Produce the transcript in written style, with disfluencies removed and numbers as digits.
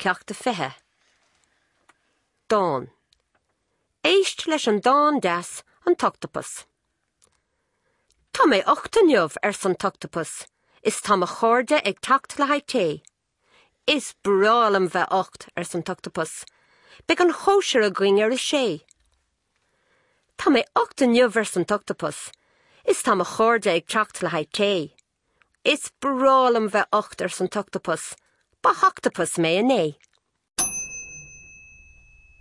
Ceacht 20. Dán. Éist leis an dán deas, An tOchtapas. Tá mé ucht inniu, arsa an tOchtapas, is tá mo chairde ag teacht le haghaidh tae. Is breá liom bheith ucht, arsa an tOchtapas. Beidh an chóisir againn ar a sé. Tá mé ucht inniu, arsa an tOchtapas, is tá mo chairde ag teacht le haghaidh tae. Is breá liom bheith ucht, arsa an tOchtapas, ba ochtapas mé inné.